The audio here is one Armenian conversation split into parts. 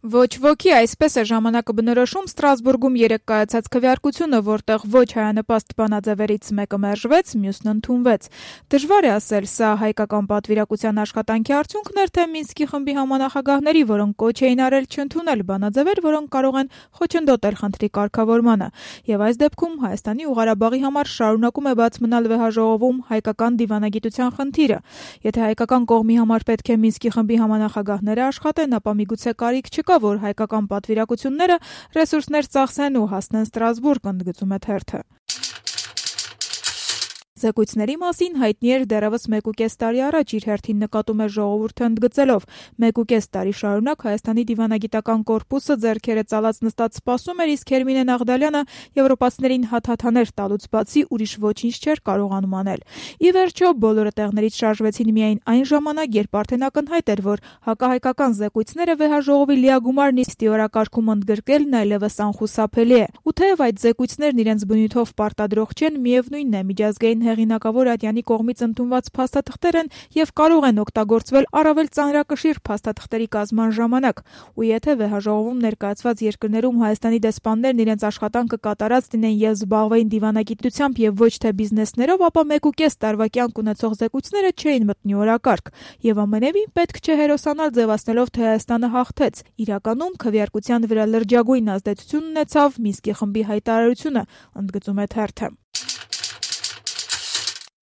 Ոչ ոքի, այսպես է ժամանակը բնորոշում Ստրասբուրգում երեկ կայացած քվեարկությունը, որտեղ ոչ հայանպաստ բանաձևերից մեկը մերժվեց, մյուսն ընդունվեց։ Դժվար է ասել, սա հայկական պատվիրակության աշխատանքի արդյունքն էր, թե Մինսկի խմբի համանախագահների, որոնք կոչ էին արել չընդունել բանաձևեր, որոնք կարող են խոչընդոտել խնդրի կարգավորմանը։ Եվ այս դեպքում Հայաստանի ու Ղարաբաղի համար շարունակում է բաց մնալ վեհաժողովում հայկական դիվանագիտության խնդիրը։ Եթե հայկական կողմի համար պետք է Մինսկի խմբի համանախագահները աշխատեն, ապա միգուցե կարիք չկա, որ հայկական պատվիրակությունները ռեսուրսներ ծախսեն ու հասնեն Ստրասբուրգ, ընդգծում է թերթը։ Զեկույցների մասին հայտնի էր դեռևս 1.5 տարի առաջ, իր հերթին նկատում է ժողովուրդը ընդգծելով. 1.5 տարի շարունակ Հայաստանի դիվանագիտական կորպուսը ձեռքերը ծալած նստած սպասում էր, իսկ Հերմինե Նաղդալյանը եվրոպացիներին հաթաթաներ տալուց բացի ուրիշ ոչինչ չէր կարողանում անել։ Ի վերջո, բոլորը տեղներից շարժվեցին միայն այն ժամանակ, երբ արդեն ակնհայտ էր, որ հակահայկական զեկույցները վեհաժողովի լիագումար նիստի օրակարգում ընդգրկելն այլևս անխուսափելի է։ Ու թեև այդ զեկույցներն իրենց բնույթով պարտադրող չեն, միևնույնն է, միջազգային հեղինակավոր ատյանի կողմից ընդունված փաստաթղթեր են եւ կարող են օգտագործվել առավել ծանրակշիռ փաստաթղթերի կազմման ժամանակ։ Ու եթե վեհաժողովում ներկայացված երկրներում Հայաստանի դեսպաններն իրենց աշխատանքը կատարած դինեն եւ զբաղվեին դիվանագիտությամբ եւ ոչ թե բիզնեսներով, ապա 1.5 տարվա կյանք ունեցող զեկույցները չէին մտնի օրակարգ։ Եվ ամենևին պետք չէ հերոսանալ ձևացնելով, թե Հայաստանը հաղթեց։ Իրականում քվեարկության վրա լրջագույն ազդեցություն ունեցավ Մինսկի խմբի հայտարարությունը, ընդգծում է թերթը։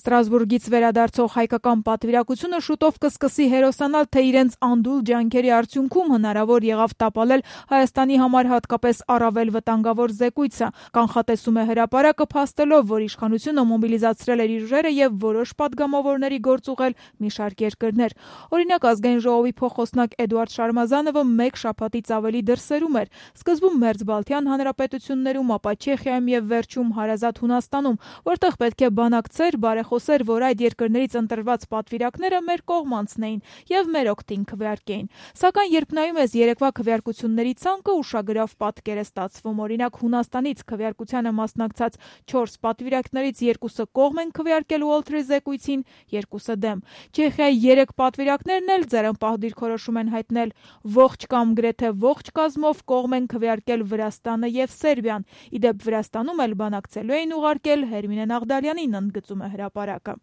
Ստրասբուրգից վերադարձող հայկական պատվիրակությունը շուտով կսկսի հերոսանալ, թե իրենց անդուլ ջանքերի արդյունքում հնարավոր եղավ տապալել Հայաստանի համար հատկապես առավել վտանգավոր զեկույցը։ Կանխատեսում է հրապարակը, փաստելով, որ իշխանությունը մոբիլիզացրել էր իր ուժերը եւ որոշ падգամավորների գործ ուղղել մի շարք երկրներ։ Օրինակ, Ազգային ժողովի փոխոսնակ Էդուարդ Շարմազանովը մեկ շաբաթից ավելի դրսերում էր։ Սկզբում Մերձբալթյան հանրապետություններում, ապա Չեխիայում եւ վերջում հարազատ Հունաստանում, որտեղ պետք է բանակցեր, բարեխոսեր, որ այդ երկրներից ընտրված պատվիրակները մեր կողմ անցնեին եւ մեր օգտին քվեարկեին։ Սակայն երբ նայում ես երեկվա քվեարկությունների ցանկը, ուշագրավ պատկեր է ստացվում։ Օրինակ, Հունաստանից քվեարկությանը մասնակցած 4 պատվիրակներից 2-ը կողմ են քվեարկել Ուոլթրի զեկույցին, 2-ը դեմ։ Չեխիայի 3 պատվիրակներն էլ ձեռնպահ դիրքորոշում են հայտնել, ողջ կամ գրեթե ողջ կազմով կողմ են քվեարկել Վրաստանը եւ Սերբիան։ Իդեպ Վրաստանում էլ բանակցելու էին ուղարկել Հերմինե Նաղդալյանին, ընդգծում է հրապարակը։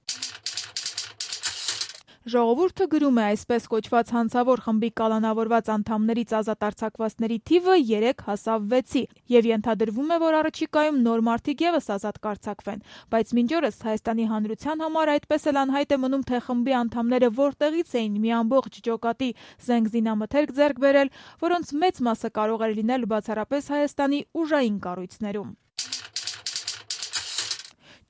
Ժողովուրդը գրում է, այսպես կոչված հանցավոր խմբի կալանավորված անդամներից ազատ արձակվածների թիվը 3 հասավ 6-ի եւ ենթադրվում է, որ առաջիկայում նոր մարդիկ եւս ազատ կարձակվեն, բայց մինչ օրս Հայաստանի հանրության համար այդպես էլ անհայտ է մնում, թե խմբի անդամները որտեղից էին մի ամբողջ ջոկատի զենք զինամթերք ձեռք բերել, որոնց մեծ մասը կարող էր լինել բացառապես Հայաստանի ուժային կառույցներում։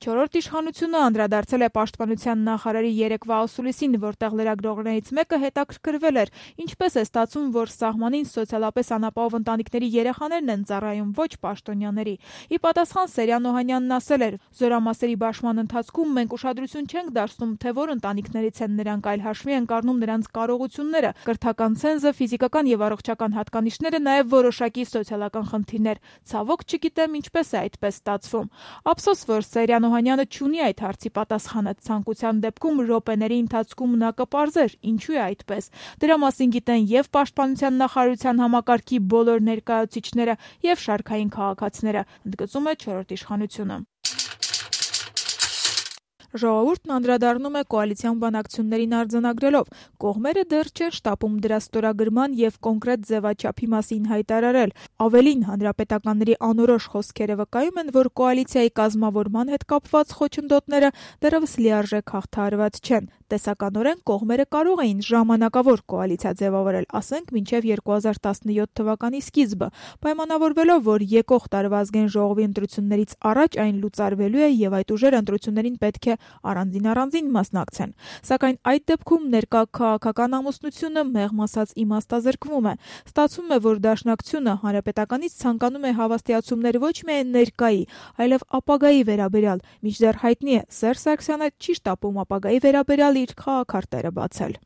Չորրորդ իշխանությունը անդրադարձել է պաշտպանության նախարարի երեկվա ասուլիսին, որտեղ լրագրողներից մեկը հետաքրքրվել էր, ինչպես է ստացվում, որ սահմանին սոցիալապես անապահով ընտանիքների երեխաներն են ծառայում, ոչ պաշտոնյաների։ Ի պատասխան Սերյան Օհանյանն ասել էր. «Զորամասերի բաշխման ընթացքում մենք ուշադրություն չենք դարձնում, թե որ ընտանիքներից են նրանք, այլ հաշվի ենք առնում նրանց կարողությունները, կրթական ցենզը, ֆիզիկական եւ առողջական հատկանիշները, նաեւ որոշակի սոցիալական խնդիրներ։ Ցավոք չգիտեմ ինչպես է այդպես ստացվում»։ Ափսոս, որ Սերյան Օհանյանը չունի այդ հարցի պատասխանը, ցանկության դեպքում րոպեների ընթացքում նա կպարզեր, ինչու է այդպես։ Դրա մասին գիտեն եւ Պաշտպանության նախարարության համակարգի բոլոր ներկայացուցիչները եւ շարքային քաղաքացիները, ընդգծում է 4-րդ իշխանությունը։ Ժողովուրդն անդրադառնում է կոալիցիոն բանակցություններին արձանագրելով. կողմերը դեռ չեն շտապում դրա ստորագրման եւ կոնկրետ ձևաչափի մասին հայտարարել։ Ավելին, հանրապետականների անորոշ խոսքերը վկայում են, որ կոալիցիայի կազմավորման հետ կապված խոչընդոտները դեռևս լիարժեք հաղթահարված չեն։ Տեսականորեն կողմերը կարող էին ժամանակավոր կոալիցիա ձևավորել, ասենք մինչև 2017 թվականի սկիզբը, պայմանավորվելով, որ եկող տարվա Ազգային ժողովի ընտրություններից առաջ այն լուծարվելու է եւ այդ ուժերը ընտրություններին պետք է առանձին մասնակցեն։ Սակայն այդ դեպքում ներկա քաղաքական ամուսնությունը մեղմ ասած իմաստազրկվում է։ Ստացվում է, որ Դաշնակցությունը հանրապետականից ցանկանում է հավաստիացումներ ոչ միայն ներկայի, այլև ապագայի վերաբերյալ, մինչդեռ հայտնի է, Սերժ Սարգսյանը չի շտապում ապագայի վերաբերյալ իր քաղաքարտերը բացել։